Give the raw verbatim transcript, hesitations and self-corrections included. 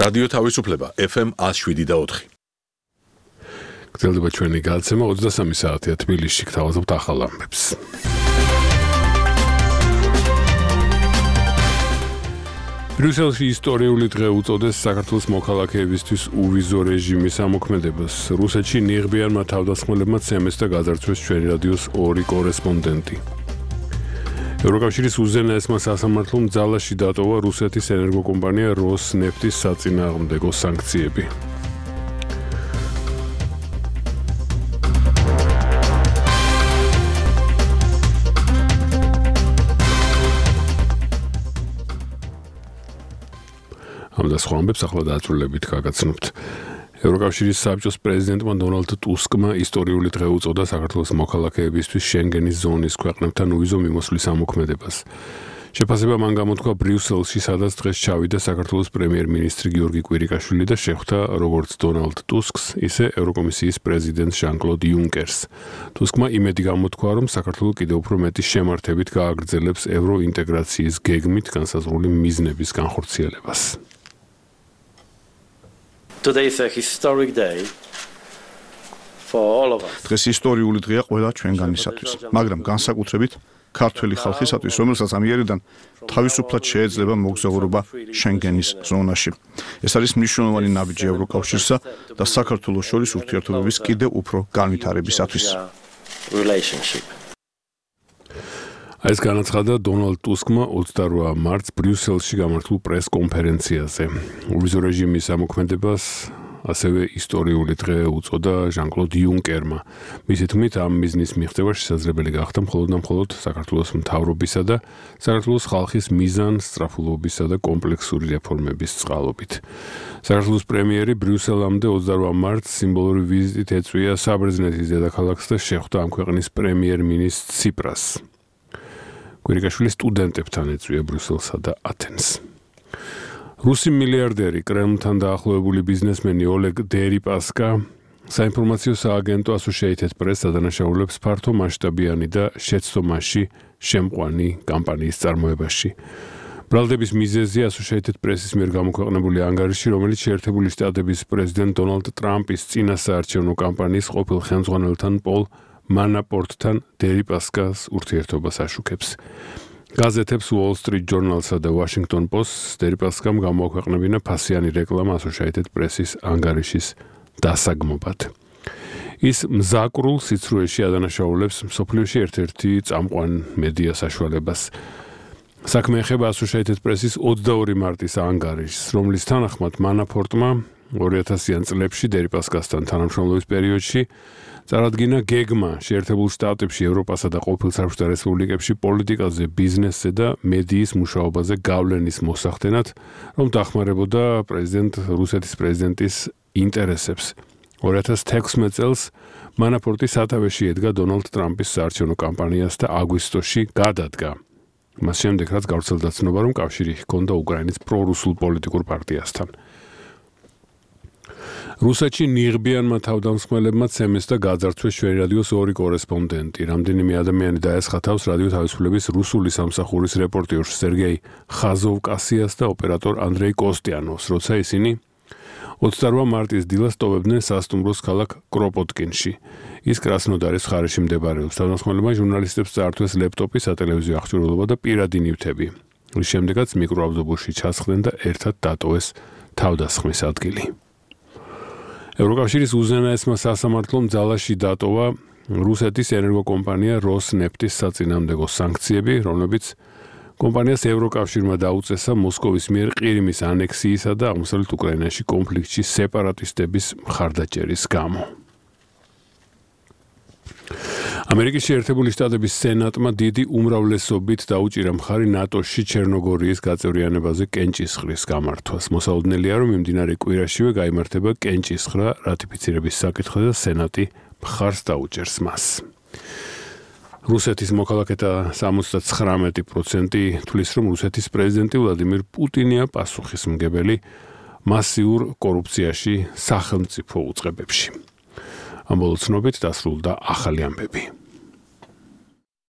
რადიო თავისუფლება F M one oh seven და four. გრძელდება ჩვენი გადაცემა ოცდასამი საათია თბილისში გთავაზობთ ახალ ამბებს. ბრიუსელში ისტორიული დღე უწოდეს საქართველოს მოქალაქეებისთვის უვიზო რეჟიმის ამოქმედებას. რუსეთში ნიღბიანმა თავდასხმელებმა ცემეს და გაძარცვეს ჩვენი რადიოს ორი კორესპონდენტი. ევროკავშირის უზენაესმა სასამართლომ ძალაში დატოვა რუსეთის ენერგოკომპანია როსნეფტის საწინააღმდეგო სანქციები. ამ და სხვა ამბებს ახლა დაძრულებით გაგაცნობთ. ევროკავშირის საბჭოს პრეზიდენტმა დონალდ ტუსკმა ისტორიული დღე უწოდა საქართველოს მოქალაქეებისთვის შენგენის ზონის ქვეყნებთან უვიზო მიმოსვლის ამოქმედებას. შეფასება მან გამოთქვა ბრიუსელში, სადაც დღეს ჩავიდა საქართველოს პრემიერ-მინისტრი გიორგი კვირიკაშვილი და შეხვდა როგორც დონალდ ტუსკს, ისე ევროკომისიის პრეზიდენტს ჟან-კლოდ იუნკერს. ტუსკმა იმედი გამოთქვა, რომ საქართველო კიდევ უფრო მეტი შემართებით გააგრძელებს ევროინტეგრაციის გეგმით განსაზღვრული მიზნების განხორციელებას. Today is a historic day for all of us. დღეს ისტორიული დღეა ყველა ჩვენგანისათვის, მაგრამ განსაკუთრებით ქართველი ხალხისათვის, რომელსაც ამიერიდან თავისუფლად შეეძლება მოგზაურობა შენგენის ზონაში. ეს არის მნიშვნელოვანი ნაბიჯი ევროკავშირსა და საქართველოს შორის ურთიერთობების კიდევ უფრო განვითარებისათვის. ეს განაცხადა დონალდ ტუსკმა ოცდაორ მარტს ბრიუსელში გამართულ პრეს-კონფერენციაზე. უვიზო რეჟიმის ამოქმედებას ასევე ისტორიული დღე უწოდა ჟან-კლოდ იუნკერმა. მისი თქმით, ამ მიზნის მიღწევა შესაძლებელი გახდა მხოლოდ და მხოლოდ საქართველოს მთავრობისა და საქართველოს ხალხის მიზანსწრაფულობისა და კომპლექსური რეფორმების წყალობით. საქართველოს პრემიერი ბრიუსელამდე ოცდაორ მარტს სიმბოლური ვიზიტით ეწვია საბერძნეთის დედაქალაქს და შეხვდა ამ ქვეყნის პრემიერ-მინისტრ ციპრას. კვირიკაშვილი სტუდენტებთან ეწვია ბრიუსელსა და ათენს. რუსი მილიარდერი, კრემლთან დაახლოებული ბიზნესმენი ოლეგ დერიპასკა საინფორმაციო სააგენტო Associated Press ადანაშაულებს ფართო მასშტაბიანი და შეცდომაში შემყვანი კამპანიის წარმოებაში. ბრალდების მიზეზი Associated Press-ის მიერ გამოქვეყნებული ანგარიში, რომელიც შეერთებული შტატების პრეზიდენტ დონალდ ტრამპის წინასაარჩევნო კამპანიის ყოფილ ხელმძღვანელთან პოლ მანაპორტთან დერიპასკას ურთიერთობას აშუქებს. გაზეთებს Wall Street Journal-სა და Washington Post-ს დერიპასკამ გამოაქვეყნებინა ფასიანი რეკლამა Associated Press-ის ანგარიშის დასაგმობად. ის მზაკრულ სიცრუეში ადანაშაულებს მსოფლიოში ერთ-ერთი წამყვან მედია საშუალებას. საქმე ეხება Associated Press-ის ოცდაორ მარტის ანგარიშს, რომლის თანახმად მანაპორტმა ორი ათასიან წლებში დერიპასკასთან თანამშრომლობის პერიოდში წარადგინა გეგმა შეერთებულ შტატებში, ევროპასა და ყოფილ საბჭოთა რესპუბლიკებში პოლიტიკაზე, ბიზნესზე და მედიის მუშაობაზე გავლენის მოსახდენად, რომ დახმარებოდა პრეზიდენტ რუსეთის პრეზიდენტის ინტერესებს. ორი ათას თექვსმეტ წელს მანაპორტი სათავეში ედგა დონალდ ტრამპის საარჩევნო კამპანიას და აგვისტოში გადადგა. მას შემდეგ, რაც გავრცელდა ცნობა, რომ კავშირი ჰქონდა უკრაინის პრორუსულ პოლიტიკურ პარტიასთან. რუსეთში ნიღბიანმა თავდამსხმელებმა ცემეს და გაძარცვეს ჩვენი რადიოს ორი კორესპონდენტი. რამდენიმე ადამიანი დაესხა თავს რადიო თავისუფლების რუსული სამსახურის რეპორტიორს სერგეი ხაზოვკასიას და ოპერატორ ანდრეი კოსტიანოვს, როცა ისინი ოცდაორ მარტის დილას ტოვებდნენ სასტუმროს ქალაქ კროპოტკინში. ის კრასნოდარის მხარეში მდებარეობს. თავდამსხმელებმა ჟურნალისტებს წაართვეს ლეპტოპი, სატელევიზიო აღჭურვილობა და პირადი ნივთები. რის შემდეგაც მიკროავტობუსში ჩასხდნენ და ერთად დატოვეს თავდასხმის ადგილი. ევროკავშირის უზენაესმა სასამართლომ ძალაში დატოვა რუსეთის ენერგოკომპანია როსნეფტის საწინააღმდეგო სანქციები, რომლებიც კომპანიას ევროკავშირმა დაუწესა მოსკოვის მიერ ყირიმის ანექსიისა და აღმოსავლეთ უკრაინაში კონფლიქტში სეპარატისტების მხარდაჭერის გამო. ამერიკის შეერთებული შტატების სენატმა დიდი უმრავლესობით დაუჭირა მხარი ნატოში ჩერნოგორიის გაწევრიანებაზე კენჭისყრის გამართვას. მოსაოდნელია, რომ მიმდინარე კვირაშივე გაიმართება კენჭისყრა რატიფიცირების საკითხზე და სენატი მხარს დაუჭერს მას. რუსეთის მოქალაქეთა სამოცდაცხრამეტი პროცენტი თვლის, რომ რუსეთის პრეზიდენტი ვლადიმირ პუტინია პასუხისმგებელი მასიურ კორუფციაში სახელმწიფო უწყებებში. ამ ბოლო ცნობით დასრულდა ახალი ამბები.